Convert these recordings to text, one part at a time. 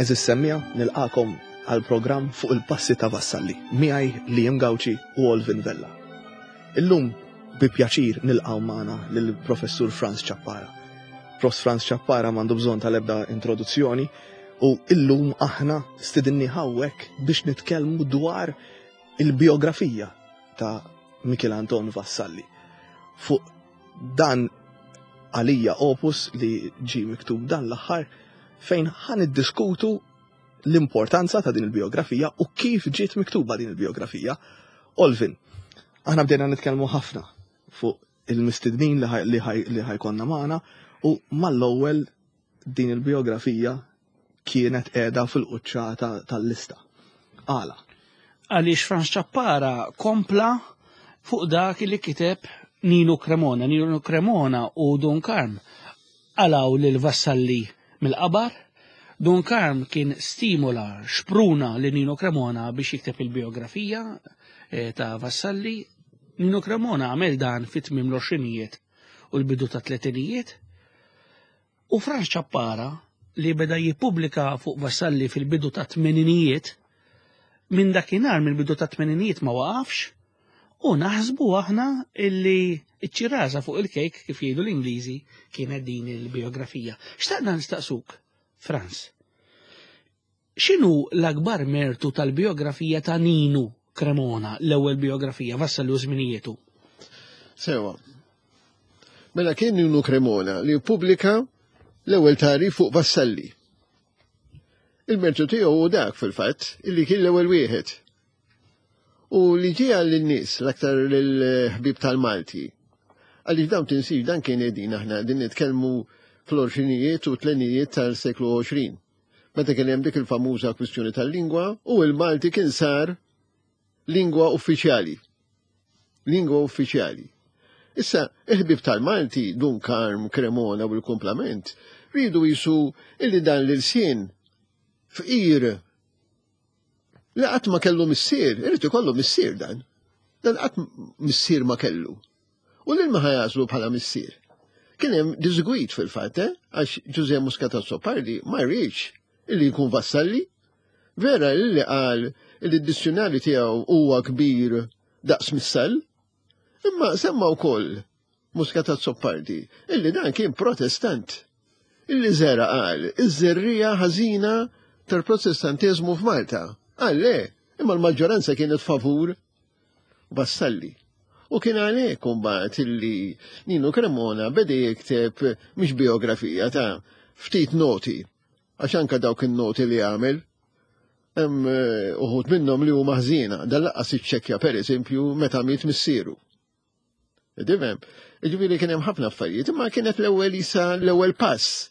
Għeżież semmiegħa, nilqagħkom għal programm fuq il-passi ta' Vassalli, miegħi Liam Gauci u Olvin Vella. Illum bi pjaċir nilqgħu magħna lill-Professur Frans Ciappara. Prof. Frans Ciappara m'għandu bżonn tal-ebda introduzzjoni u illum aħna stidinni hawnhekk biex nitkellmu dwar il-biografija ta' Michel Anton Vassalli. Fuq dan għalija opus li ġi miktub dan l-aħħar fejn ħan iddiskutu l-importanza ta' din il-biografija u kif ġiet miktuba din il-biografija. Olvin, aħna bdejna nitkellmu ħafna fuq il-mistednin li ħajkonna magħna u mal-ewwel din il-biografija kienet qiegħda fil-quċċata tal-lista. Għala? Għaliex Frans Ciappara kompla fuq dak li kiteb Nino Cremona. Nino Cremona u Dun Karm għalaw lil Vassalli mill-qabar. Dun Karm kien stimula, xpruna li Nino Cremona biex jikteb il-biografija eh, ta' Vassalli. Nino Cremona għamel dan fit-tmiem l-għoxrinijiet u l-bidu ta' tletinijiet. U Frans Ciappara, li beda jippubblika fuq Vassalli fil-bidu ta' tmeninijiet, minn dakinhar mill-bidu ta' tmeninijiet ma waqafx, u naħsbu aħna illi ċ-ċirasa fuq il-kejk, kif jgħidu l-Ingliżi, kienet din il-biografija. Xtaqna nistaqsuk, Frans, x'inhu l-akbar mertu tal-biografija ta' Ninu Cremona, l-ewwel biografija, Vassalli u żminijietu? Sewa. Mela kien Ninu Cremona li ppubblika l-ewwel tagħrif fuq Vassalli. Il-mertu tiegħu hu dak fil-fatt illi kien l-ewwel wieħed. U li ġie lin-nies l-aktar lill-ħbieb tal-Malti. Għaliex dawn tinsix dan kien qegħdin aħna qegħdin nitkellmu fl-għoxrinijiet u tlenijiet tal-seklu 20. Meta kien hemm dik il-famuża kwistjoni tal-lingwa u l-Malti kien sar lingwa uffiċjali. Lingwa uffiċjali. Issa, il-ħbieb tal-Malti, Dun Karm, Cremona u l-kumplament, riedu jisu illi dan l-ilsien fqir li qatt ma kellu missier, irid ikollu missier dan. Dan qatt missier ma kellu. U lil ma ħajażlu bħala missier. Kien hemm diżgwid fil-fatt, eh? għax Ġużè Muscat Azzopardi ma rridx illi jkun Vassalli. Vera illi qal illi d-dizzjunarju tiegħu huwa kbir daqs missall, imma semma wkoll Muscat Azzopardi illi dan kien protestant. Illi żera qal iż-żerriegħa ħażina tal-protestantiżmu f'Malta. Qal le, imma l-maġġoranza kienet favur Vassalli. U kien għalhekk imbagħad illi Nino Cremona beda jikteb mhix biografija ta' ftit noti, għax anke dawk in-noti li għamel hemm eh, uħud minnhom li huma ħżiena, dan laqqas iċċekkja pereżempju meta miet missieru. Tifhem? Ġifieri kien hemm ħafna affarijiet, imma kienet l-ewwel isa l-ewwel pass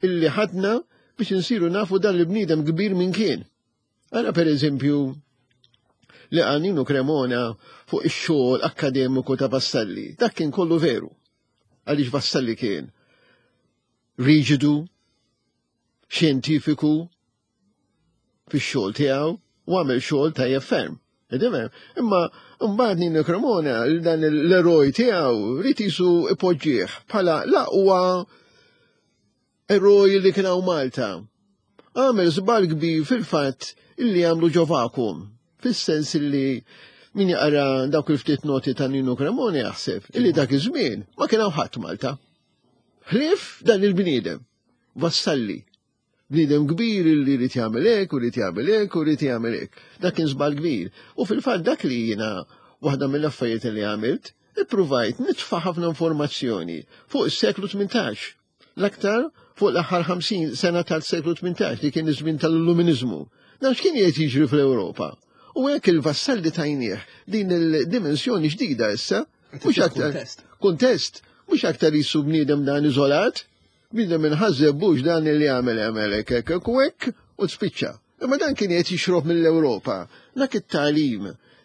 illi ħadna biex insiru nafu dan il-bniedem kbir minn kien. Ara per eżempju li għaninu Cremona fuq ix-xogħol akkademiku ta' Vassalli. Dak kien kollu veru. Għaliex Vassalli kien riġidu, xjentifiku fix-xogħol tiegħu u għamel xogħol tajjeb ferm. Imma mbagħad Nino Cremona dan l-eroj tiegħu rid jisu ipoġġih bħala l-aqwa eroj li kien hawn Malta. Għamel żball kbir fil-fatt illi għamlu ġo vacuum, fis-sens illi min jaqra dawk il-ftit noti ta' Nino Cremona jaħseb illi dak iż-żmien ma kien hawn ħadd Malta. Ħlief dan il-bniedem, Vassalli. Bniedem kbir illi jrid jagħmel hekk u jrid jagħmel hekk u jrid jagħmel hekk. Dak kien żball kbir. U fil-fatt dak li jiena waħda mill-affarijiet li għamilt, ippruvajt nitfa' ħafna informazzjoni fuq is-seklu 18. L-aktar fuq l-aħħar 50 sena tal-seklu 18 li kien iż-żmien tal-Illuminiżmu. Dan x'kien qiegħed jiġri fl-Ewropa. U hekk il-vassalli tajnieh din il-dimensjoni ġdida issa, mhux aktar kuntest, mhux aktar jisu bniedem dan iżolat, Bniedem inħażżeb hux dan li għamel għamel hekk hekk hekk u hekk u spiċċa. Imma dan kien qed jixrob mill-Ewropa. Dak it-tagħlim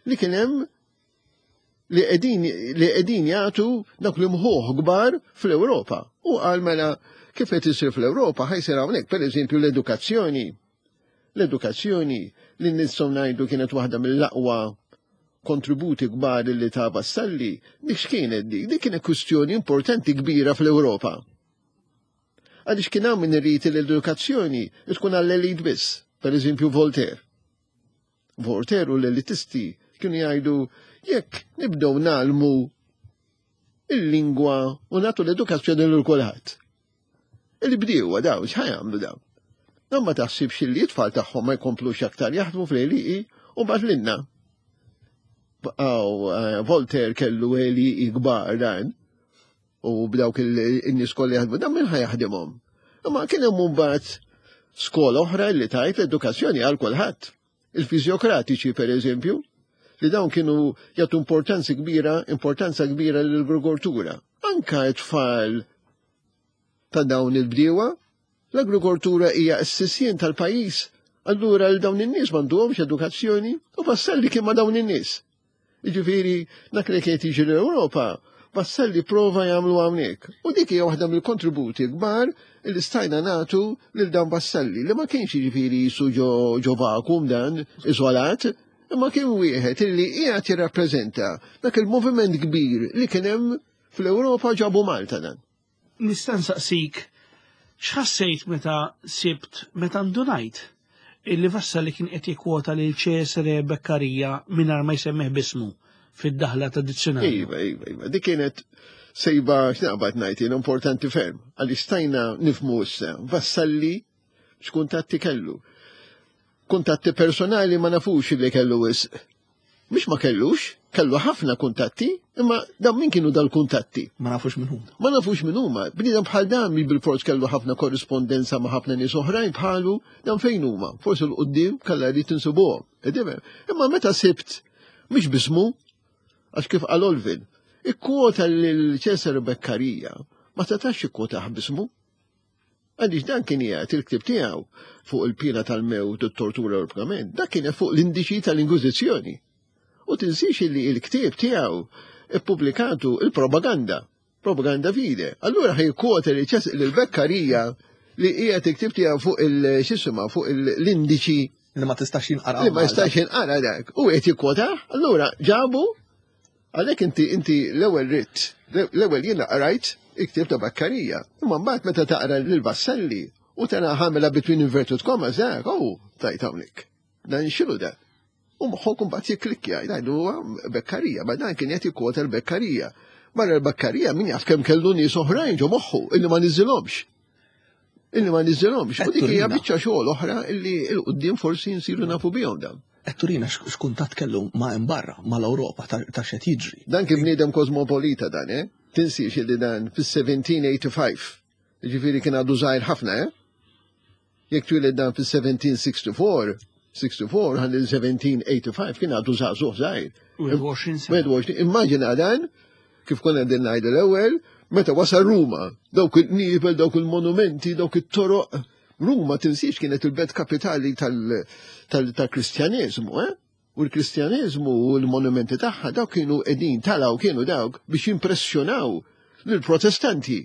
li kien hemm li qegħdin li qegħdin jagħtu dawk li mħuħ kbar fl-Ewropa. U qal mela kif qed isir fl-Ewropa ħa jsir hawnhekk, pereżempju l-edukazzjoni. L-edukazzjoni li nistgħu ngħidu kienet waħda mill-aqwa kontributi kbar li ta' Vassalli, dik x'kienet dik? Dik kienet kwistjoni importanti kbira fl-Ewropa. Għaliex kien hawn min irid li l-edukazzjoni tkun għall-elit biss, per eżempju Voltaire. Voltaire u l-elitisti kienu jgħidu jekk nibdew nagħlmu il-lingwa u nagħtu l-edukazzjoni lil kulħadd. Il-bdiewa daw x'ħa jagħmlu daw? Dan ma taħsibx li t-tfal tagħhom ma jkomplux aktar jaħdmu fl-għelieqi u mbagħad lilna. Baqgħu eh, Voltaire kellu għelieqi kbar dan u b'dawk il-nies kollha jaħdmu dan min ħa jaħdimhom. Imma kien hemm mbagħad skola oħra li tajt l-edukazzjoni għal kulħadd. Il-fiżjokratiċi per eżempju, li dawn kienu jagħtu importanza kbira, importanza kbira lill-agrikoltura. Anka t-tfal ta' dawn il-bdiewa, l-agrikoltura hija s-sisien tal-pajjiż, allura l dawn in-nies m'għandhomx edukazzjoni u Vassalli kien ma' dawn in-nies. Jiġifieri dak li kien jiġi l-Ewropa, Vassalli prova jagħmlu hawnhekk. U dik hija waħda mill-kontributi kbar li stajna nagħtu lil dan Vassalli li ma kienx jiġifieri jisu ġo vacuum dan iżolat, imma kien wieħed illi qiegħed jirrappreżenta dak il-moviment kbir li kien hemm fl-Ewropa ġabu Malta dan. Nista' nsaqsik x'ħassejt meta sibt meta ndunajt illi Vassalli kien qed jikkwota lil Cesare Beccaria mingħajr ma jsemmih b'ismu fid-daħla ta' dizzjonarju. Iva, iva, iva. Dik kienet sejba x'naqbad ngħid jien importanti ferm għaliex stajna nifhmu issa Vassalli x'kuntatti kellu. Kuntatti personali ma nafux li kellu wisq. Mhux ma kellux, kellu ħafna kuntatti, imma dan min kienu dal-kuntatti? Ma nafux min huma. Ma nafux min huma. Bniedem bħal dan mi bil-fors kellu ħafna korrispondenza ma' ħafna nies oħrajn bħalu, dan fejn huma? Forsi l-qudiem kellha jrid insibuhom. Imma meta sibt mhux bismu, għax kif qal Olvin, ikkwota lil Cesare Beccaria ma setax ikkwotah bismu. Għaliex dan kien jgħid il-ktieb tiegħu fuq il-piena tal-mewt u t-tortura u l-pgament, dak kien fuq l-indiċi tal-Inkwiżizzjoni. U tinsiex li il-ktieb tiegħu ippubblikatu il-propaganda, propaganda fide. Allura ħaj kwota li ċes l-Beccaria li qiegħed il-ktieb tiegħu fuq il-xisima fuq l-indiċi li ma tistax jinqara. Li ma jistax jinqara dak. U qed jikkwota, allura ġabu Għalhekk inti inti l-ewwel ridt, l-ewwel jiena qrajt il-ktieb ta' Beccaria. Imma mbagħad meta taqra lil Vassalli u tara ħamela between inverted commas dak, oh, tajt hawnhekk. Dan x'inhu dan? U moħħok imbagħad jikklikkja, jgħidu huwa Beccaria, ma dan kien qed jikkwota l-Beccaria. Barra l-Beccaria min jaf kemm kellu nies oħrajn ġo moħħu illi ma niżilhomx. Illi ma niżilhomx. U dik hija biċċa xogħol oħra illi 'l quddiem forsi nsiru nafu bihom dawn. Qed turina x'kuntatt kellu ma' hemm barra, mal-Ewropa ta' x'qed jiġri. Dan kien bniedem kosmopolita dan, eh? Tinsiex illi dan fis-1785, jiġifieri kien għadu żgħir ħafna, eh? Jekk twieled dan fis-1764, 64 ħalli 1785 kien għadu żagħżugħ żgħir. 21 sena. 21, immaġina dan, kif konna qegħdin ngħidu l-ewwel, meta wasal Ruma, dawk il-qniebel, dawk il-monumenti, dawk it-toroq. Ruma tinsiex kienet il-belt kapitali tal-Kristjaneżmu, eh? U l-Kristjaneżmu u l-monumenti tagħha dawk kienu qegħdin talaw kienu dawk biex jimpressjonaw lill-Protestanti.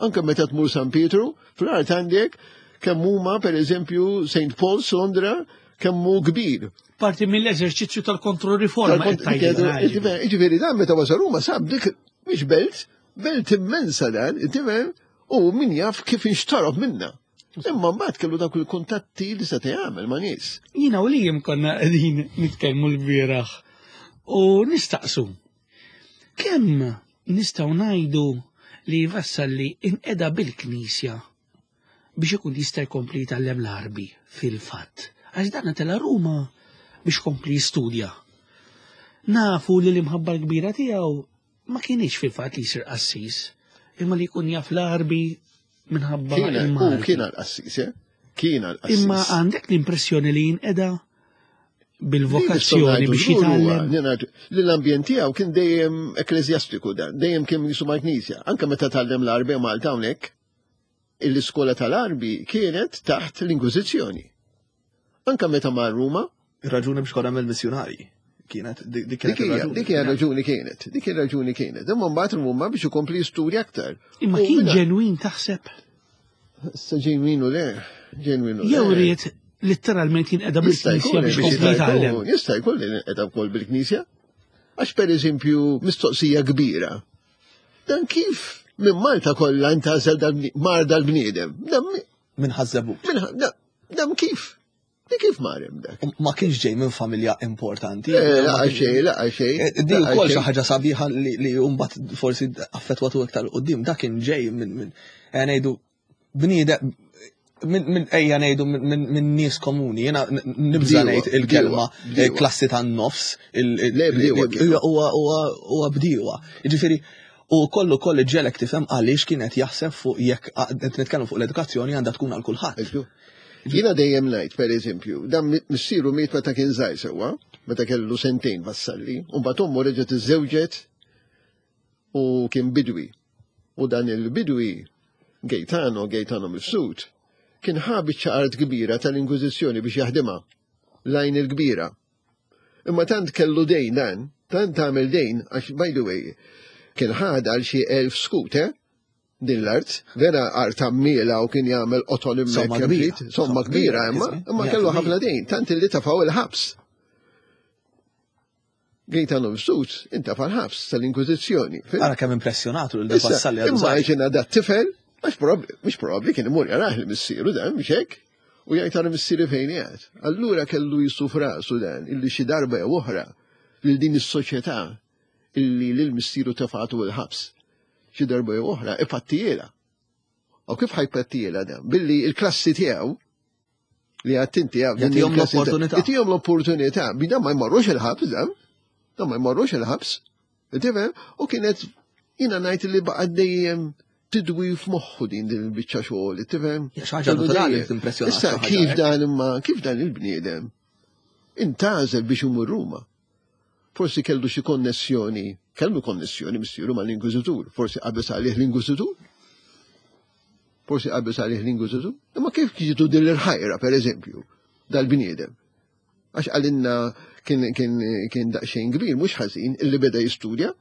Anke meta tmur San Pietru, fl-art għandek kemm huma pereżempju St. Paul's Londra kemm hu kbir. Parti mill-eżerċizzju tal-kontroriforma. Ġifieri dan meta wasal Ruma sab dik mhix belt, belt immensa dan, tifhem, u min jaf kif inxtarob minna. Imma mbagħad kellu dawk il-kuntatti li seta' jagħmel ma' nies. Jiena u li konna qegħdin nitkellmu l-bieraħ u nistaqsu. Kemm nistgħu ngħidu li Vassalli inqeda bil-Knisja biex ikun jista' jkompli jitgħallem l-Għarbi fil-fatt. Għax dan tela' Ruma biex kompli jistudja. Nafu li l-imħabba l-kbira tiegħu ma kienx fil-fatt li jsir qassis, imma li jkun jaf l-Għarbi minħabba il-Malti. Kien għal-qassis, eh? Kien għal-qassis. Imma għandek l-impressjoni li jinqeda bil-vokazzjoni biex jitgħallem. Li l-ambjent tiegħu kien dejjem ekkleżjastiku dan, dejjem kien jisu mal-knisja. Anke meta tgħallem l-Għarbi Malta hawnhekk, l-iskola tal-Għarbi kienet taħt l-Inkwiżizzjoni. Anke meta mar Ruma. Ir-raġuni biex konna mill-missjunarji kienet dik dik hija raġuni kienet, dik ir-raġuni kienet. Imma mbagħad Ruma biex ikompli jistudja aktar. Imma kien ġenwin taħseb? Issa ġenwin u le, ġenwin u le. Jew ried litteralment jinqeda bil-Knisja biex jkompli jitgħallem. Jista' jkun li jinqeda wkoll bil-Knisja. Għax pereżempju mistoqsija kbira. Dan kif Minn Malta kollha intgħażel mar dal-bniedem. Minn Ħaż-Żebbuġ. Dam kif? Di kif mar hemm dak? Ma kienx ġej minn familja importanti. Eh, laqa xejn, laqa xejn. Eh, di wkoll xi ħaġa sabiħa li mbagħad forsi affettwatu iktar qudiem, dak kien ġej minn eh, ngħidu bniedem minn ejja ngħidu minn nies komuni, jiena nibża ngħid il-kelma klassi tan-nofs, huwa bdiewa. Jiġifieri u kollu kollu ġelek tifhem għaliex kien qed jaħseb fuq jekk qed nitkellmu fuq l-edukazzjoni għandha tkun għal kulħadd. Jiena dejjem ngħid, per eżempju, dan missieru miet meta kien żgħir sewwa, meta kellu sentejn Vassalli, u mbagħad ommu reġgħet iżżewġet u kien bidwi. U dan il-bidwi Gaetano, Gaetano Mifsud, kien ħa biċċa art kbira tal-Inkwiżizzjoni biex jaħdimha, l-għajn il-kbira. Imma tant kellu dejn dan, tant għamel dejn, għax by the way, kien ħadha għal xi 1000 skut, eh? din l-art, vera art għammiela u kien jagħmel qoton hemmhekk. Somma kbira imma, imma kellu ħafna dejn, tant illi tafgħu il-ħabs. Gaetano Mifsud intafa' l-ħabs tal-Inkwiżizzjoni. Ara kemm impressjonatu lil Vassalli għadu. Imma ġena da tifel, għax mhux probabbli kien imur jarah li missieru dan mhux hekk, u jgħid ara missieri fejn qiegħed. Allura kellu jisu f'rasu dan illi xi darba jew oħra lil din is-soċjetà illi lil missieru tefgħatu l-ħabs. Xi darba jew oħra ipattijielha. U kif ħajpattijielha dan? Billi il-klassi tiegħu li għadt inti għaw. Jagħtihom l-opportunità. Jagħtihom l-opportunità. Bi dan ma jmorrux il-ħabs dan. Dan ma jmorrux il-ħabs. Tifhem? U kienet jiena ngħid li baqa' dejjem tidwi f'moħħu din din il-biċċa xogħol, tifhem? Xi ħaġa naturali timpressjona. Issa kif dan imma kif dan il-bniedem intgħażel biex imur Ruma. Forsi kellu xi konnessjoni, kellu konnessjoni missieru mal-Inkwiżitur, forsi qabeż għalih l-Inkwiżitur. Forsi qabeż għalih l-Inkwiżitur. Imma kif ġitu din l-ħajra, per eżempju, dal-bniedem? Għax għalinna kien, kien, kien daqsxejn kbir, mhux ħażin, illi beda jistudja,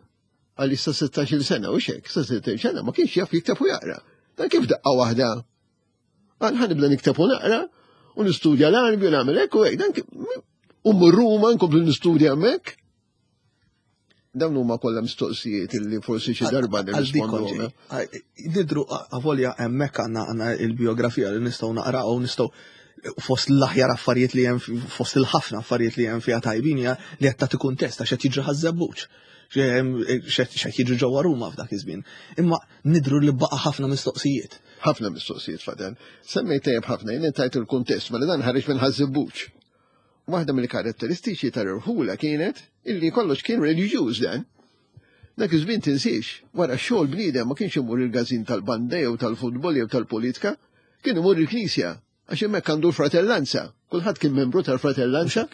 għalli sa 16 sena u xek, sa 16 sena ma kienx jaf jikteb u jaqra. Dan kif daqqa waħda Għal ħanibda nikteb u naqra u nistudja l-Arbi u nagħmel hekk u hekk. Dan u mmur Ruma nkomplu nistudja hemmhekk. Dawn huma kollha mistoqsijiet illi forsi xi darba nirrispondu. Nidru avolja hemmhekk għandna għandna il-biografija li nistgħu naqraw u nistgħu fost l-aħjar affarijiet li hemm fost il-ħafna affarijiet li hemm fiha tajbin hija li qed tagħti kuntest għax qed jiġri ħaż-żebbuġ. X'qed jiġri ġewwa Ruma f'dak iż-żmien. Imma nidru li baqa' ħafna mistoqsijiet. Ħafna mistoqsijiet fadal. Semmejt tajjeb ħafna, jien tajt il-kuntest, mela dan ħareġ minn Ħaż-Żebbuġ. Waħda mill-karatteristiċi tal-irħula kienet illi kollox kien reliġjuż dan. Dak iż-żmien tinsiex, wara x-xogħol bniedem ma kienx imur il-każin tal-banda jew tal-futbol jew tal-politika, kien imur il-knisja Għax hemmhekk għandu l-fratellanza. Kulħadd kien membru tal-fratellanza.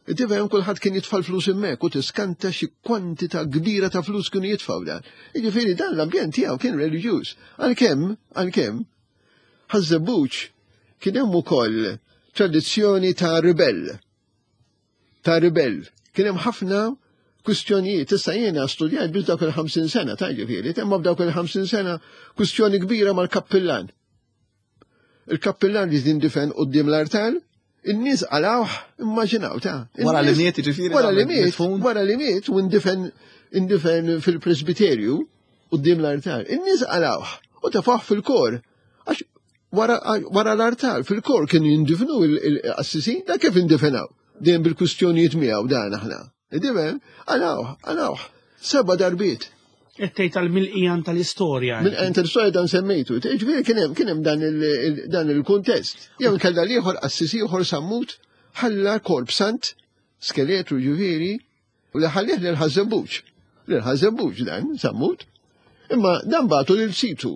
Tifhem kulħadd kien jitfa' l-flus hemmhekk u tiskanta xi kwantità kbira ta' flus kienu jitfgħu dan. Jiġifieri dan l-ambjent tiegħu kien reliġjuż. Għalkemm, għalkemm, Ħaż-Żebbuġ kien hemm ukoll tradizzjoni ta' ribell. Ta' ribell. Kien hemm ħafna kwistjonijiet. Issa jiena studjajt biex dawk il-50 sena, ta' ġifieri, imma f'dawk il-50 sena kwistjoni kbira mal-kappillan. Il-kappillan li jindifen quddiem l-artal, in-nies qalawh, immaġinaw ta' Wara li miet ġifieri. Wara li miet, wara li miet u indifen indifen fil-presbiterju quddiem l-artal. In-nies qalawh u tafah fil-kor. Għax wara l-artal fil-kor kienu jindifnu il-qassisin, da kif indifenaw? Dejjem bil-kwistjonijiet miegħu dan aħna. Tifhem? Għalawh, għalawh. Seba' darbiet. Qed tgħid għal mill-qiegħan tal-istorja. Mill-qiegħan tal-istorja dan semmejtu. Ġifieri kien hemm kien hemm dan il-kuntest. Jew inkella l-ieħor qassis ieħor Sammut ħalla korp sant, skeletru ġifieri, u li ħallih lil Ħaż-Żebbuġ. Lil Ħaż-Żebbuġ dan Sammut. Imma dan bagħtu lil situ.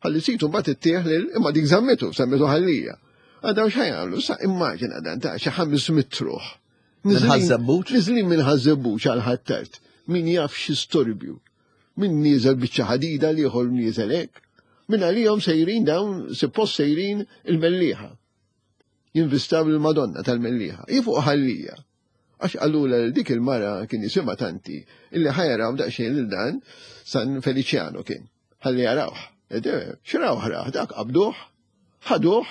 Ħalli situ mbagħad ittieħ lil imma dik żammitu, żammitu ħallija. Għadaw x'ħajamlu, sa immaġina dan ta' xi 500 ruħ. Minn Ħaż-Żebbuġ? Niżlin minn Ħaż-Żebbuġ għal Ħ'Attard. Min jaf xi storbju. Min nieżel biċċa ħadida l-ieħor nieżel hekk. Min għalihom sejrin dawn suppost sejrin il-Mellieħa. Jinvistaw lill-Madonna tal-Mellieħa. Hi fuq Ħal Lija. Għax qalulha lil dik il-mara kien jisimha tanti illi ħa jaraw daqsxejn lil dan San Feliċjano kien. Ħalli jarawh. X'rawh rah dak qabduh, ħaduh,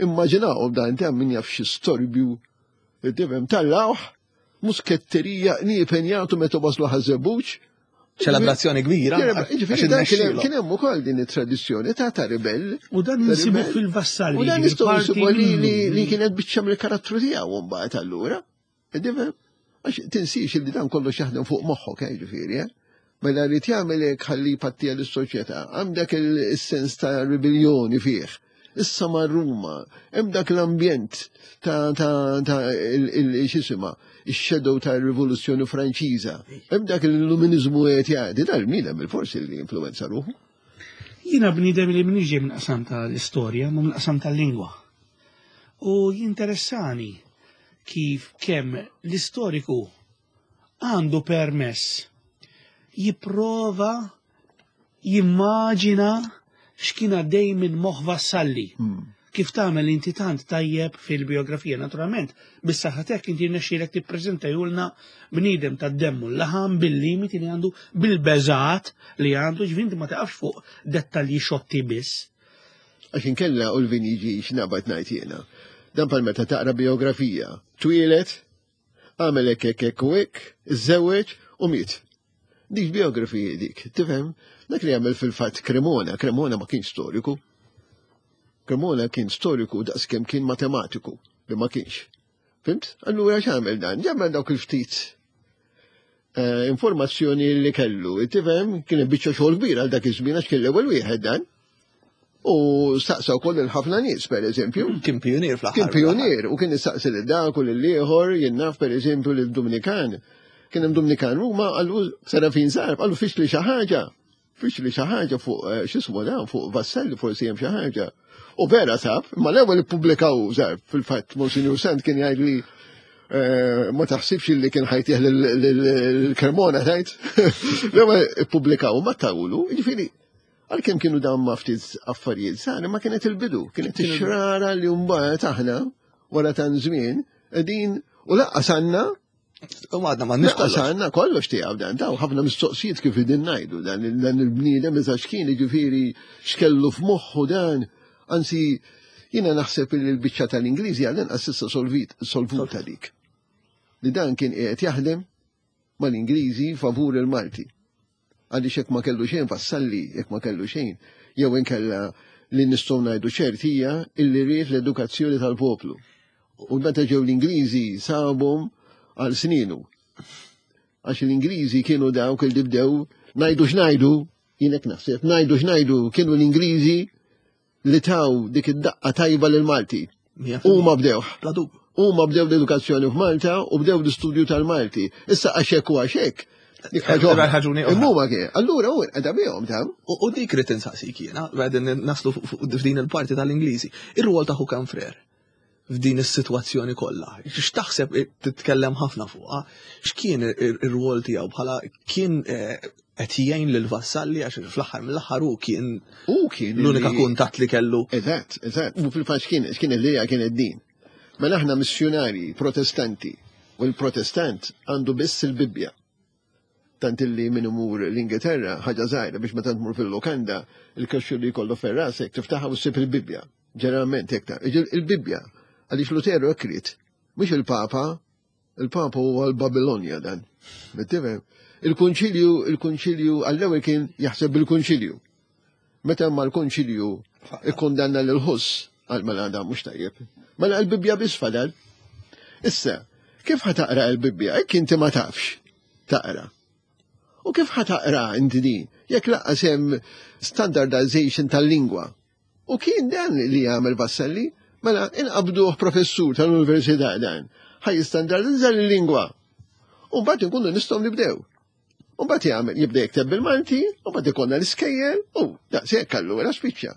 immaġinaw dan ta' min jaf xi storbju. Tifhem tallawh, musketterija qniepen jagħtu meta waslu Ħaż-Żebbuġ. Ċelebrazzjoni kbira. Ġifieri dan kien hemm ukoll din it-tradizzjoni ta' ta' ribell. U dan insibu fil-vassalli. U dan nistgħu nsibu li kienet biċċa mill-karattru tiegħu mbagħad allura. Tifhem? Għax tinsiex li dan kollox jaħdem fuq moħħok, eh, ġifieri, eh? Mela rrid jagħmel hekk ħalli jpattija lis-soċjetà. Għandek il-sens ta' ribellioni fih. Issa ma' Ruma, hemm dak l-ambjent ta' ta' ta' x'isima, ix-shadow ta' rivoluzzjoni Franċiża. Hemm dak l-illuminizmu qed jgħaddi dal-bniedem bil-forsi li influenza ruħu. Jiena bniedem li m'iniex ġej minn qasam tal-istorja, ma minn qasam tal-lingwa. U jinteressani kif kemm l-istoriku għandu permess jipprova jimmaġina x'kien għaddej minn moħħ Vassalli. Kif tagħmel inti tant tajjeb fil-biografija, naturalment, bis-saħħa tiegħek inti rnexxielek tippreżentajulna bniedem tad-demm u l-laħam bil-limiti li għandu, bil-beżat li għandu, ġifieri inti ma taqafx fuq dettalji xotti biss. Għax inkella u l-vin jiġi x'naqbad ngħid jiena. Dan bħal meta taqra biografija. Twieled, għamel hekk hekk hekk u hekk, iżżewweġ u miet. Dik biografija dik, tifhem? Dak li għamel fil-fatt Cremona, Cremona ma kienx storiku. Cremona kien storiku daqskemm kien matematiku, li ma kienx. Fimt? Allura x'għamel dan? Ġamel dawk il-ftit eh, informazzjoni li kellu. Tifhem? Kien biċċa xogħol kbir għal dak iż-żmien għax kien l-ewwel wieħed dan. U staqsa wkoll il-ħafna nies, per eżempju. Kien pionier fl-aħħar. Kien pionier u kien istaqsi lil dak u lil ieħor, jien naf per eżempju lil Dominikan. Kien hemm Dominikan Ruma qallu Serafin Zarb, qallu fix li xi ħaġa. Fix li xi ħaġa fuq eh, x'ismu dan fuq Vassalli forsi hemm xi ħaġa. U vera sab, ma l-ewwel ippubblikaw Zarb fil-fatt Monsignor Sant kien jgħid li eh, ma taħsibx li kien ħajtih l-Cremona tajt. L-ewwel ippubblikaw ma tawlu, jiġifieri Għalkemm kienu dawn ma ftit affarijiet sani, ma kienet il-bidu, kienet ix-xrara li mbagħad aħna wara tan żmien qegħdin u laqqas għandna U għadna ma nix kollox. Għandna kollox tiegħu dan, daw ħafna mistoqsijiet kif idin ngħidu dan dan il-bniedem iżda x'kien jiġifieri x'kellu f'moħħu dan, anzi jiena naħseb li l-biċċa tal-Ingliżi għall-inqas issa solvuta dik. Li dan kien qiegħed jaħdem mal-Ingliżi favur il-Malti. Għaliex jekk ma kellu xejn Vassalli, jekk ma kellu xejn, jew inkella li nistgħu ngħidu ċert hija illi ried l-edukazzjoni tal-poplu. U meta ġew l-Ingliżi sabhom għal sninu. Għax l-Ingliżi kienu dawk li bdew ngħidu x'ngħidu, jien hekk naħseb, ngħidu x'ngħidu kienu l-Ingliżi li taw dik id-daqqa tajba lil Malti. Huma bdewh. Huma bdew l-edukazzjoni f'Malta u bdew l-istudju tal-Malti. Issa għax hekk u għax hekk. Dik Imma kien. Allura u qeda bihom ta' U dik rid insaqsik jiena, qegħdin naslu f'din il-parti tal-Ingliżi. Ir-rwol ta' Hukan Frer f'din is-sitwazzjoni kollha. X'taħseb titkellem ħafna fuqha? X'kien ir-rwol tiegħu bħala kien eh, qed jgħin lil Vassalli għax fl-aħħar mill-aħħar hu kien hu kien l-unika kuntatt li kellu. Eżatt, eżatt. U fil-fatt x'kien x'kien l-idea kienet din. Mela aħna missjunarji protestanti u l-protestant għandu biss il-Bibbja. Tant illi min imur l-Ingilterra, ħaġa żgħira biex meta tmur fil-lukanda, il-kaxxu li jkollu ferrasek tiftaħha u ssib il-Bibbja. Ġeneralment hekk ta' il-Bibbja għaliex Luteru hekk ried, mhux il-Papa, il-Papa huwa l-Babilonja dan. Tifhem? Il-Kunċilju, il-Kunċilju għall-ewwel kien jaħseb bil-Kunċilju. Meta ma l-Kunċilju ikkundanna lil Ħuss, għal mela dan mhux tajjeb. Mela l-Bibbja biss fadal. Issa, kif ħa taqra l-Bibbja? Hekk inti ma tafx taqra. U kif ħa taqra inti din? Jekk laqqas hemm standardization tal-lingwa. U kien dan li jagħmel Vassalli, mela inqabduh professur tal-università dan, ħaj jistandardizza l-lingwa. U mbagħad inkunu nistgħu nibdew. U mbagħad jagħmel jibda jikteb bil-Malti, u mbagħad ikollna l-iskejjel, u daqshekk allura spiċċa.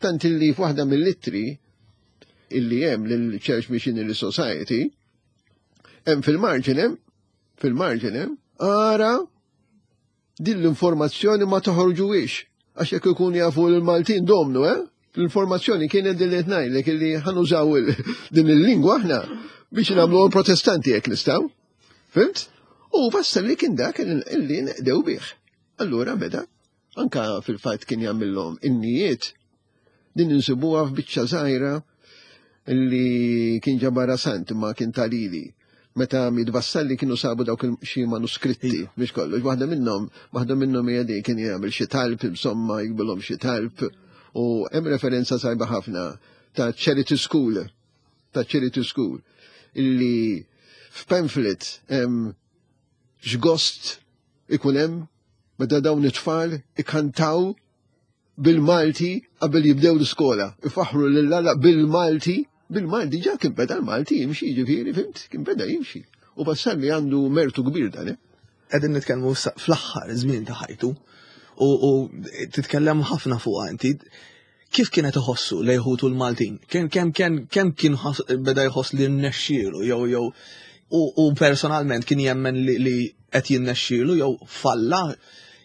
Tant illi f'waħda mill-ittri illi hemm lill-Church Missionary Society, hemm fil-marġin hemm, fil-marġin hemm, ara Din l-informazzjoni ma toħorġuhiex, għax jekk ikunu jafu l-Maltin domnu, eh? L-informazzjoni kienet din li qed ngħidlek illi ħanużaw din il-lingwa aħna biex nagħmlu protestanti jekk nistgħu. Fimt? U wassal li kien dak illi neqdew bih. Allura beda, anka fil-fatt kien jagħmilhom innijiet din insibuha f'biċċa żgħira li kien ġabara sant ma kien talili. Meta miet Vassalli kienu sabu dawk xi manuskritti biex kollox. Waħda minnhom, waħda minnhom hija di kien jagħmel xi talb, insomma, jikbilhom xi talb u hemm referenza sajba ħafna ta' Charity School, ta' Charity School, illi f'pamphlet hemm x'gost ikun hemm meta dawn it-tfal ikantaw bil-Malti qabel jibdew l-iskola. Ifaħru lil Alla bil-Malti, bil-Malti ġa kien beda l-Malti jimxi, ġifieri, fimt, kien beda jimxi. U Vassalli għandu mertu kbir dan, eh? Qegħdin nitkellmu fl-aħħar żmien ta' ħajtu u titkellem ħafna fuqha inti. Kif kienet iħossu lejn ħutu l-Maltin? Kemm kemm kemm kemm kien beda jħoss li rnexxielu jew jew u personalment kien jemmen li qed jinnexxielu jew falla?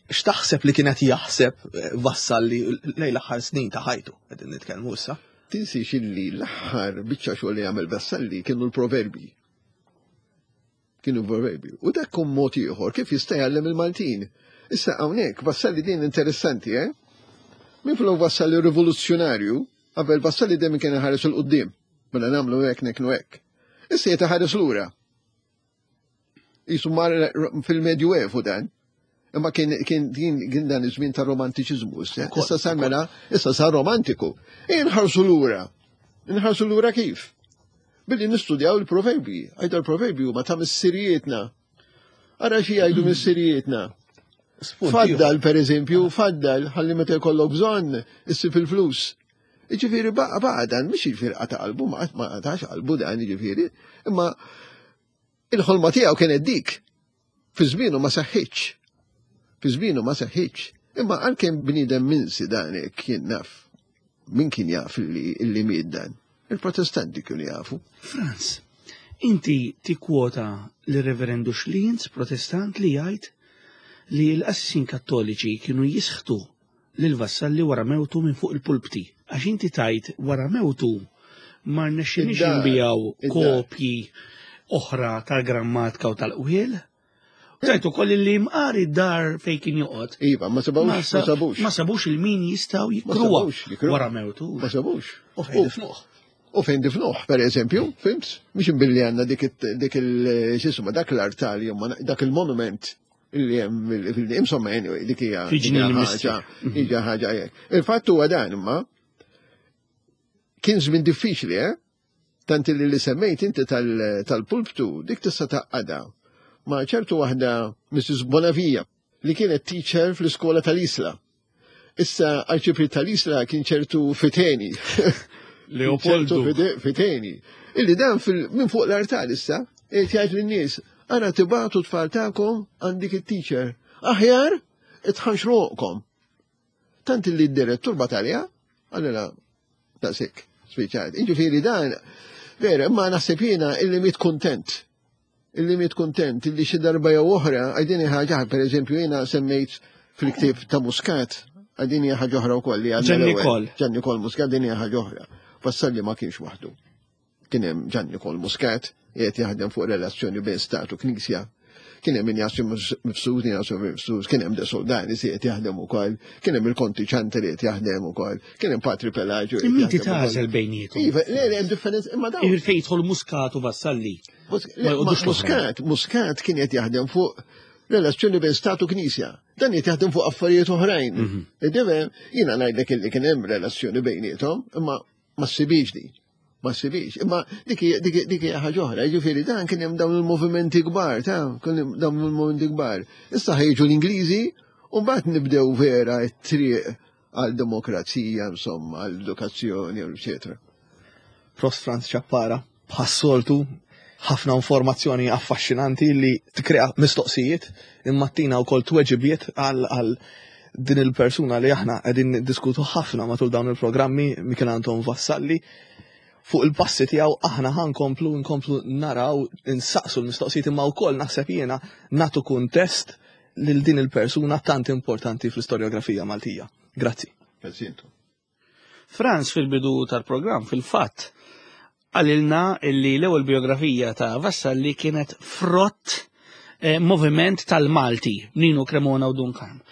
X'taħseb li kien qed jaħseb eh, Vassalli lejn l-aħħar snin ta' ħajtu qegħdin nitkellmu issa? Tinsiex illi l-aħħar biċċa xogħol li għamel Vassalli kienu l-proverbi. Kienu proverbi. U dak kun mod ieħor kif jista' jgħallem il-Maltin. Issa hawnhekk Vassalli din interessanti, eh? Min flok Vassalli rivoluzzjonarju, qabel Vassalli dejjem kien iħares 'il quddiem. Mela nagħmlu hekk neknu hekk. Issa qed iħares lura. Jisu mar fil-Medju Evu dan. Imma kien kien kien dan iż-żmien ta' romantiċiżmu issa. Issa sar mela, issa sar romantiku. Inħarsu lura. Inħarsu lura kif? Billi nistudjaw il-proverbi. Għajda l-proverbi huma ta' missirijietna. Ara xi jgħidu missirijietna. Faddal, per eżempju, faddal, ħalli meta jkollok bżonn, issib il-flus. Jiġifieri baqa' baqa' dan mhux jiġifieri qata' qalbu, ma qatax qalbu dan jiġifieri, imma il-ħolma tiegħu kienet dik. Fi żmienu ma seħħitx. Fi żmienu ma seħħitx. Imma għalkemm bniedem minsi dan hekk jien naf min kien jaf li miet dan. Il-Protestanti kienu jafu. Franz, inti tikkwota lir-Reverendu Schlienz, Protestant, li jgħid li l-qassisin Kattoliċi kienu jisħtu lil Vassalli wara mewtu minn fuq il-pulpti. Għax inti tgħid wara mewtu ma rnexxinix inbiegħu kopji oħra tal-grammatika u tal-qwiel. Tajt ukoll li mqar id-dar fejn kien joqgħod. Iva, ma sabux, ma sabux. Ma sabux il-min jistgħu jikruha wara mewtu. Ma sabux. U fejn difnuh. U fejn difnuh, per eżempju, fimt? Mhux imbilli għandna dik il-xisma, dak l-artal, dak il-monument Illi hemm insomma anyway dik hija ħaġa hija ħaġa hekk. Il-fatt huwa dan imma kien żmien diffiċli, eh? Tant li li semmejt inti tal-pulptu dik tista' taqqada ma' ċertu waħda Mrs. Bonavia li kienet teacher fl-iskola tal-Isla. Issa arċipriet tal-Isla kien ċertu Fiteni. Leopoldo. Fiteni. Illi dan minn fuq l-artal issa, qed jgħid lin-nies, ara tibatu tfal tagħkom għandik it-teacher. Aħjar itħanxruqkom. Tant illi d-direttur batalja, għalila daqshekk, spiċċat. Jiġifieri dan, vera, imma naħseb jiena illi miet kuntent illi miet kuntent illi xi darba jew oħra għajdini ħaġa, per eżempju jiena semmejt fil-ktieb ta' Muscat, għajdini ħaġa oħra wkoll li għandna. Ġanni Kol. Ġanni Kol Muscat din hija ħaġa oħra. Vassalli ma kienx waħdu. Kien hemm Ġanni Kol Muscat qiegħed jaħdem fuq relazzjoni bejn stat u knisja. Kien hemm Injazju Mifsud, Injazju Mifsud, kien hemm De Soldani si qed jaħdem ukoll, kien hemm il-Konti Ċanti li qed jaħdem ukoll, kien hemm Patri Pelagio. Imma inti tagħżel bejniethom. Iva, le, le, hemm differenza, imma dawn. Fejn jidħol Muscat u Vassalli. Muscat, Muscat kien qed jaħdem fuq relazzjoni bejn stat u knisja. Dan qed jaħdem fuq affarijiet oħrajn. Mhm. Idivem, jiena ngħidlek illi kien hemm relazzjoni bejniethom, imma ma ssibix di. Ma ssibix. Imma dik hija ħaġa oħra, jiġifieri dan kien hemm dawn il-movimenti kbar, ta' kien hemm dawn il-movimenti kbar. Issa ħejġu l-Ingliżi u mbagħad nibdew vera t-triq għal demokrazija, insomma, għal edukazzjoni, eccetera. Prost Franz Ciappara, bħas-soltu, ħafna informazzjoni affaxxinanti li tkrea mistoqsijiet imma tina wkoll tweġibiet għal din il-persuna li aħna qegħdin niddiskutu ħafna matul dawn il-programmi Michel Anton Vassalli. Fuq il-passi tiegħu aħna ħankomplu nkomplu naraw insaqsu l-mistoqsijiet imma wkoll naħseb jiena nagħtu kuntest lil din il-persuna tant importanti fl-istorjografija Maltija. Grazzi. Grazzi intom. Franz fil-bidu tal-programm fil-fatt qalilna illi l-ewwel biografija ta' Vassalli kienet frott eh, moviment tal-Malti, Nino Cremona u Dun Karm.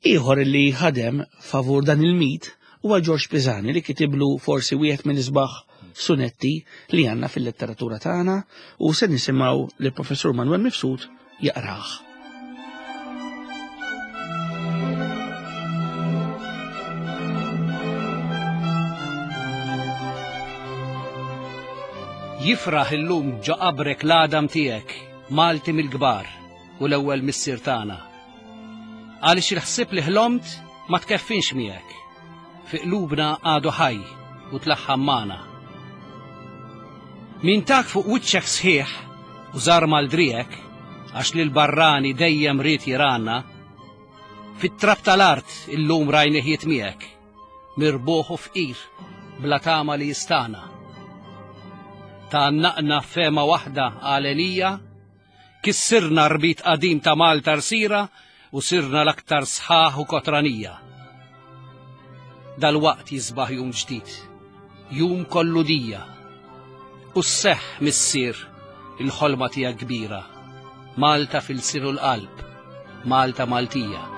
Ieħor illi ħadem favur dan il-mit huwa Ġorġ Pisani li kitiblu forsi wieħed minn isbaħ sunetti li għandna fil-letteratura tagħna u se nisimgħu lill-Professur Manuel Mifsud jaqrah. Jifraħ illum ġo qabrek l-għadam tiegħek, Malti mill-kbar u l-ewwel missier tagħna. Għaliex il-ħsieb li ħlomt ma tkeffinx miegħek. Fi qlubna għadu ħaj u tlaħħam magħna. Min tak fuq wiċċek sħiħ u żar mal-driegħek għax lil barrani dejjem ried jirana, fit-trab tal-art illum rajnih jitmiegħek, mirbuħ u fqir bla tama li jistana. Tgħannaqna f'fehma waħda għalenija Kissirna rbit qadim ta' Malta rsira u sirna l-aktar sħaħ u kotranija. Dalwaqt jisbaħ jum ġdid, jum kollu dija. U sseħħ missier il-ħolma tiegħek kbira, Malta fil-lsien u l-qalb, Malta Maltija.